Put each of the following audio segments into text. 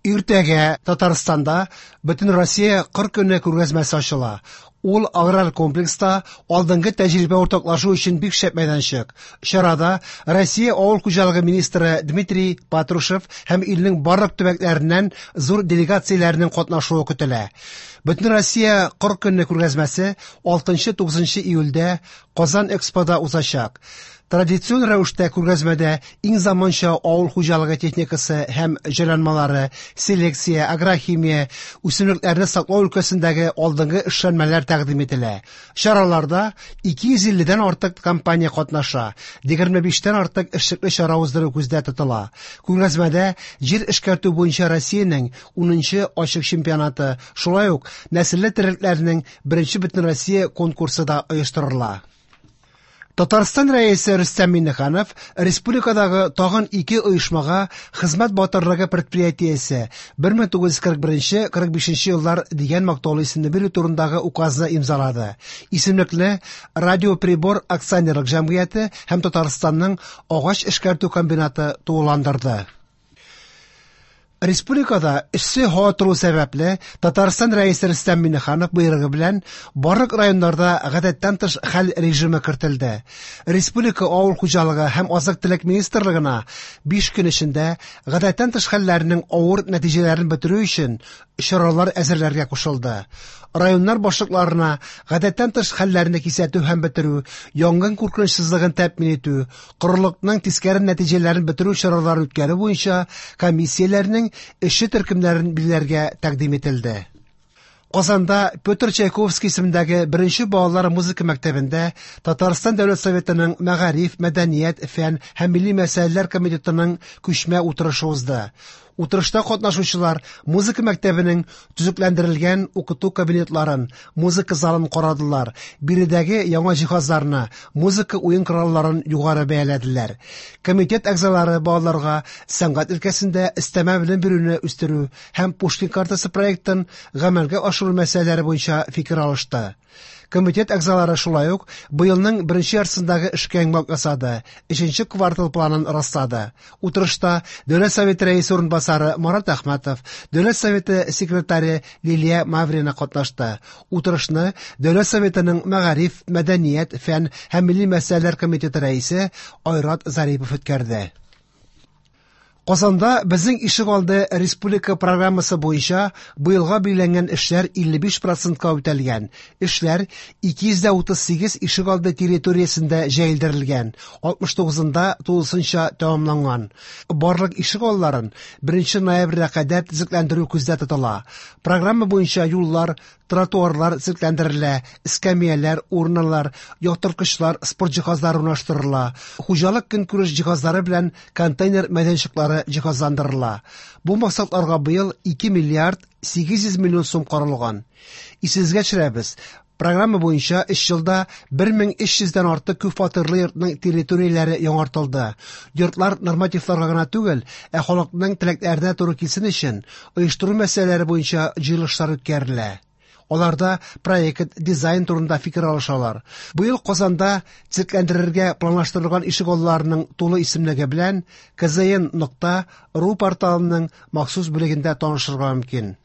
Иртәгә Татарстанда Бөтенроссия кыр көне күргәзмәсе ачыла. Ул аграр комплекста алдынгы тәҗрибә уртаклашу өчен бик шәп мәйданчык. Чарада Россия авыл хуҗалыгы министры Дмитрий Патрушев һәм илнең барлык төбәкләреннән зур делегацияләрнең катнашуы көтелә. Бөтенроссия кыр көне күргәзмәсе 6-9 июльдә Казан Экспода узачак. Традицион рәвештә күргәзмәдә иң заманча авыл хуҗалыгы техникасы һәм җайланмалары, селекция, агрохимия, үсемлекләрне саклау өлкәсендәге алдынгы эшләнмәләр тәкъдим ителә. Чараларда 250 дән артык компания катнаша, 25тән артык эшлекле чара уздыру күздә тотыла. Күргәзмәдә җир эшкәртү буенча Россиянең 10нчы ачык чемпионаты, шулай ук нәселле терлекләрнең беренче бөтенроссия конкурсы да оештырыла. Татарстан Рәисе Рөстәм Миңнеханов республикадагы тагын ике оешмага Хезмәт батырлыгы предприятиесе 1941-45 еллар дигән мактаулы исемне бирү турындагы указны имзалады. Исемлекне Радиоприбор акционерлык җәмгыяте һәм Татарстанның агач эшкәртү комбинаты тулыландырды. Республикада эссе һава тору сәбәпле, Татарстан Рәисе Рөстәм Миңнеханов боерыгы белән барлык районнарда гадәттән тыш хәл режимы кертелде. Республика авыл хуҗалыгы һәм азык-төлек министрлыгына 5 көн эчендә гадәттән тыш хәлләрнең авыр нәтиҗәләрен бетерү өчен чаралар әзерләргә кушылды. Районнар башлыкларына гадәттән тыш хәлләрне кисәтү һәм бетерү, янгын куркынычсызлыгын тәэмин итү, корылыкның тискәре нәтиҗәләрен бетерү чараларын үткәрү буенча комиссияләрнең эшче төркемнәрен билгеләргә тәкъдим ителде. Казанда Петр Чайковский исемендәге беренче балалар музыка мәктәбендә Татарстан Дәүләт Советының Мәгариф, мәдәният, фән һәм милли мәсьәләләр комитетының күчмә утырышы узды. Утырышта катнашучылар музыка мәктәбенең төзекләндерелгән укыту кабинетларын, музыка залын карадылар, биредәге яңа җиһазларны, музыка уен коралларын югары бәяләделәр. Комитет әгъзалары балаларга сәнгать өлкәсендә өстәмә белем бирүне үстерү һәм Пушкин картасы проектын гамәлгә ашыру мәсьәләләре буенча фикер алышты. Комитет әгъзалары шулай ук быелның беренче яртысындагы эшкә йомгак ясады, өченче квартал планын раслады. Утырышта Дәүләт Советы рәисе урынбасары Марат Әхмәтов, Дәүләт Советы секретаре Лилия Маврина катнашты. Утырышны Дәүләт Советының Мәгариф, мәдәният, фән һәм милли мәсьәләләр комитеты рәисе Айрат Зарипов үткәрде. Казанда Безнең ишегалды республика программасы буенча быелга билгеләнгән эшләр 55 процентка үтәлгән. Эшләр 238 ишегалды территориясендә җәелдерелгән, 69-ында тулысынча тәмамланган. Барлык ишегалларын 1 ноябрьгә кадәр төзекләндерү күздә тотыла. Программа буенча юллар, тротуарлар төзекләндерелә, эскәмияләр, урналар, яктырткычлар, спорт җиһазлары урнаштырыла, хуҗалык көнкүреш җиһазлары белән контейнер мәйданчыклары җиһазландырыла. Бу максатларга быел 2 миллиард 800 миллион сум каралган. Исегезгә төшерәбез, программа буенча 3 елда 1300 дән артык күп фатирлы йортның территорияләре яңартылды. Йортлар нормативларга гына түгел, ә халыкның теләкләренә туры килсен өчен оештыру мәсьәләләре буенча җыелышлар үткәрелә. Аларда проект, дизайн турында фикер алышалар. Быел Казанда төзекләндерергә планлаштырылган ишегалларының тулы исемлеге белән kzn.ru порталының махсус бүлегендә танышырга мөмкин.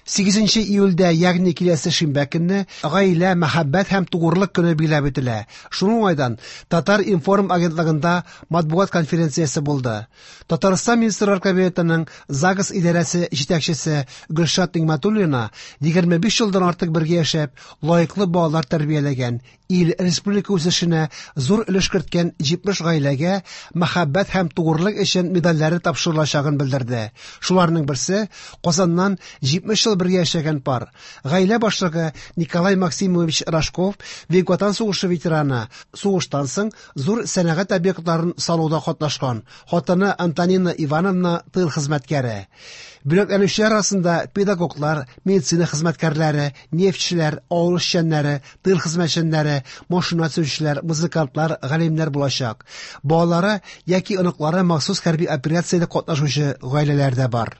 8 июльдә, ягъни киләсе шимбә көнне, гаилә, мәхәббәт һәм тугрылык көне билгеләп үтелә. Шуның уңайдан Татар-информ агентлыгында матбугат конференциясе булды. Татарстан Министрлар Кабинетының ЗАГС идарәсе җитәкчесе Гөлшат Нигъмәтуллина 25 елдан артык бергә яшәп, лаеклы балалар тәрбияләгән, ил, республика үсешенә зур өлеш керткән 70 гаиләгә мәхәббәт һәм тугрылык өчен медальләре тапшырылачагын белдерде. Шуларның берсе Казаннан 70 ел бергә яшәгән пар. Гаилә башлыгы Николай Максимович Рожков, Бөек Ватан сугышы ветераны, сугыштан соң зур сәнәгать объектларын салуда катнашкан. Хатыны Антонина Ивановна тыл хезмәткәре. Бүләкләнүчеләр арасында педагоглар, медицина хезмәткәрләре, нефтьчеләр, авыл эшчәннәре, тыл хезмәтчәннәре, машина төзүчеләр, музыкантлар, галимнәр булачак. Балалары яки оныклары махсус хәрби операциядә катнашучы гаиләләр дә бар.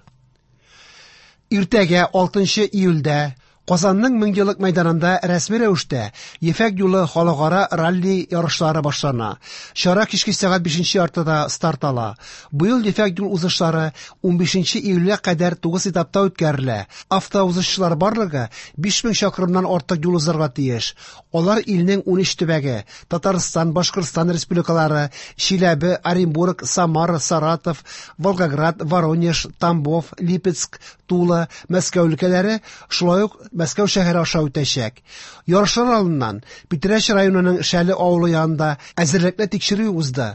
Иртәгә 6 июльдә Казанның Меңьеллык мәйданында рәсми рәвештә Ефәк юлы халыкара ралли ярышлары башлана. Чара кичке сәгать 5 яртыда старт ала. Быел Ефәк юл узышлары 15 июльгә кадәр 9 этапта үткәрелә. Автоузышчылар барлыгы 5000 чакрымнан артык юл узарга тиеш. Алар илнең 13 төбәге – Татарстан, Башкортстан республикалары, Чиләбе, Оренбург, Самара, Саратов, Волгоград, Воронеж, Тамбов, Липецк, Тула, Мәскәү өлкәләре, шулай ук Мәскәү шәһәре аша үтәчәк. Ярышлар алдыннан Питрәч районының Шәле авылы янында әзерлекле тикшерү узды.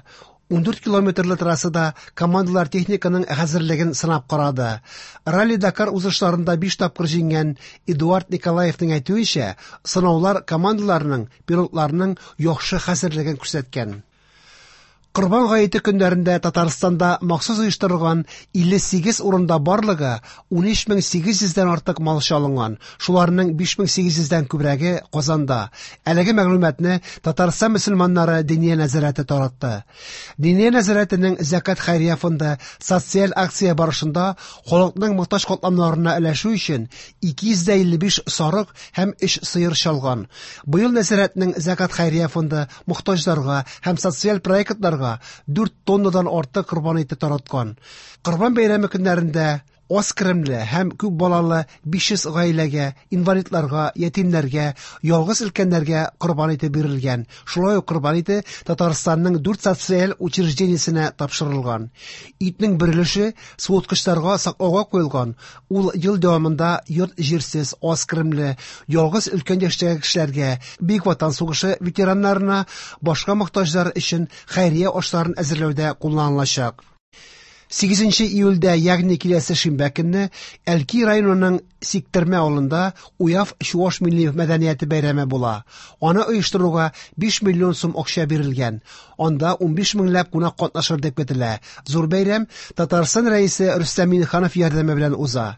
14 километрлы трассада командалар техниканың хәзерлеген сынап карады. Ралли-Дакар узышларында 5 тапкыр җиңгән Эдуард Николаевның әйтүенчә, сынаулар командаларның, пилотларның яхшы хәзерлеген күрсәткән. Корбан гаете көннәрендә Татарстанда махсус оештырылган 58 урында барлыгы 13800 дән артык мал чалынган. Шуларның 5800 дән күбрәге Казанда. Әлеге мәгълүматны Татарстан мөселманнары Диния нәзарәте таратты. Диния нәзарәтенең Зәкат хәйрия фонды социаль акция барышында халыкның мохтаҗ катламнарына өләшү өчен 255 сарык һәм 3 сыер чалган. Быел нәзарәтнең Зәкат хәйрия фонды мохтаҗларга һәм социаль проектларга 4 тоннадан артык корбан ите тараткан. Корбан бәйрәме көннәрендә аз керемле һәм күп балалы 500 гаиләгә, инвалидларга, ятимнәргә, ялгыз өлкәннәргә корбан ите бирелгән. Шулай ук корбан ите Татарстанның 4 социаль учреждениесенә тапшырылган. Итнең бер өлеше суыткычларга саклауга куелган. Ул ел дәвамында йорт җирсез, аз керемле, ялгыз өлкән яшьтәге кешеләргә, Бөек Ватан сугышы ветераннарына, башка мохтаҗлар өчен хәйрия ашларын әзерләүдә кулланылачак. 8 июльдә, ягъни киләсе шимбә көнне, Әлки районының Сиктермә авылында Уяв чуаш милли мәдәнияте бәйрәме була. Аны оештыруга 5 миллион сум акча бирелгән. Анда 15 меңләп кунак катнашыр дип көтелә. Зур бәйрәм Татарстан Рәисе Рөстәм Миңнеханов ярдәме белән уза.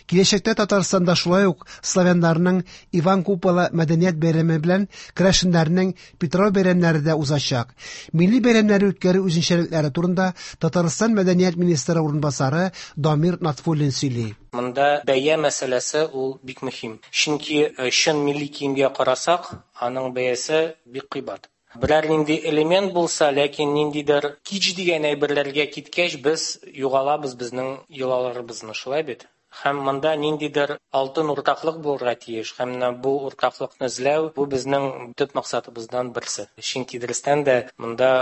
Киләчәктә Татарстанда шулай ук славяннарның Иван Купала мәдәният бәйрәме белән керәшеннәрнең Питрау бәйрәмнәре дә узачак. Милли бәйрәмнәрне үткәрү үзенчәлекләре турында Татарстан мәдәният министры урынбасары Дамир Натфуллин сөйли. Монда бәя мәсьәләсе ул бик мөһим. Чөнки чын милли киемгә карасак, аның бәясе бик кыйбат. Берәр нинди элемент булса, ләкин ниндидер кич дигән әйберләргә киткәч, без югалабыз безнең йолаларыбызны, шулай бит? Һәм монда ниндидер алтын уртаклык булырга тиеш. Һәм менә бу уртаклыкны эзләү бу безнең төп максатыбыздан берсе. Чөнки дөрестән дә монда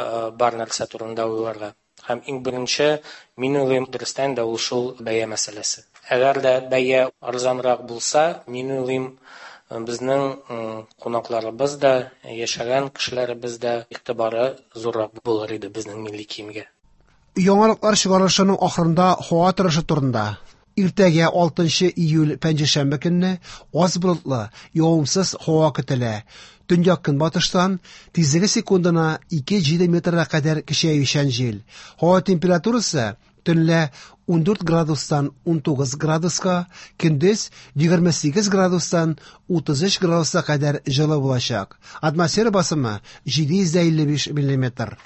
бар нәрсә турында уйларга. Һәм иң беренче, мин уйлыйм, дөрестән дә ул шул бәя мәсьәләсе. Әгәр дә бәя арзанрак булса, мин уйлыйм, безнең кунакларыбыз да, яшәгән кешеләребез дә игътибары зуррак булыр иде безнең милли киемгә. Яңалыклар чыгарылышының ахырында һава торышы турында. Иртәгә 6 июль пәнҗешәмбе көнне аз болытлы, явымсыз һава көтелә. Төньяк көнбатыштан тизлеге секундына 2,7 метрга кадәр көчәючән җил. Һава температурасы төнлә 14 градустан 19 градуска, көндез 28 градустан 33 градуска кадәр җылы булачак. Атмосфера басымы 755 миллиметр.